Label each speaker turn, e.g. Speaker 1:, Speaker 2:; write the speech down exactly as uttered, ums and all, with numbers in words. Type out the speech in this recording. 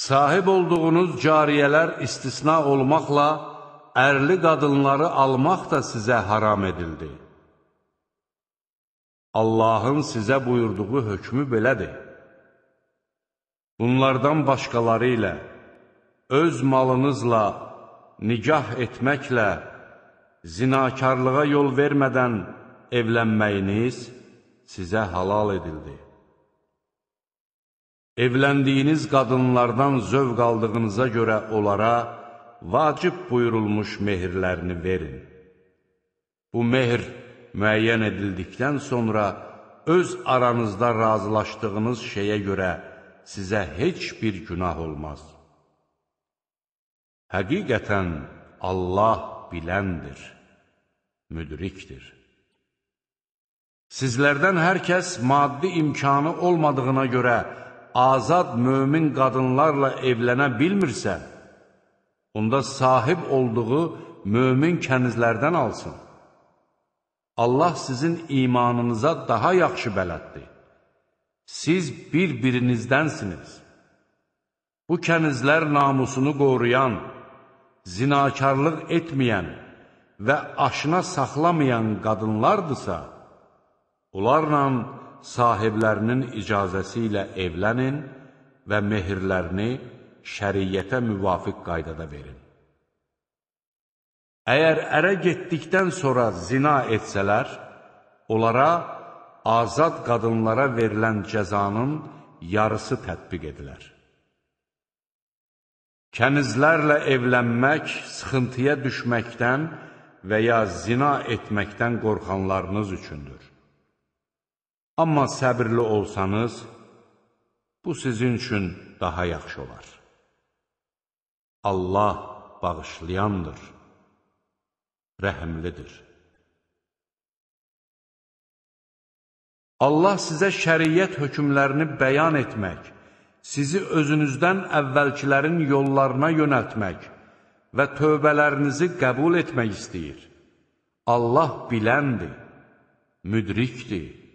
Speaker 1: Sahib olduğunuz cariyələr istisna olmaqla, ərli qadınları almaq da sizə haram edildi. Allahın sizə buyurduğu hökmü belədir. Bunlardan başqaları ilə, öz malınızla, nikah etməklə, zinakarlığa yol vermədən evlənməyiniz sizə halal edildi. Evləndiyiniz qadınlardan zövq aldığınıza görə onlara vacib buyurulmuş mehirlərini verin. Bu mehir müəyyən edildikdən sonra öz aranızda razılaşdığınız şeyə görə sizə heç bir günah olmaz. Həqiqətən Allah biləndir, müdrikdir. Sizlərdən hər kəs maddi imkanı olmadığına görə azad mömin qadınlarla evlənə bilmirsə, onda sahib olduğu mömin kənizlərdən alsın. Allah sizin imanınıza daha yaxşı bələddir. Siz bir-birinizdənsiniz. Bu kənizlər namusunu qoruyan, zinakarlıq etməyən və aşına saxlamayan qadınlardırsa, onlarla sahiblərinin icazəsi ilə evlənin və mehirlərini şəriyyətə müvafiq qaydada verin. Əgər ərə getdikdən sonra zina etsələr, onlara azad qadınlara verilən cəzanın yarısı tətbiq edilər. Kənizlərlə evlənmək sıxıntıya düşməkdən və ya zina etməkdən qorxanlarınız üçündür. Amma səbirli olsanız, bu sizin üçün daha yaxşı olar. Allah bağışlayandır, rəhimlidir. Allah sizə şəriyyət hökmlərini bəyan etmək, sizi özünüzdən əvvəlkilərin yollarına yönəltmək və tövbələrinizi qəbul etmək istəyir. Allah biləndir, müdrikdir.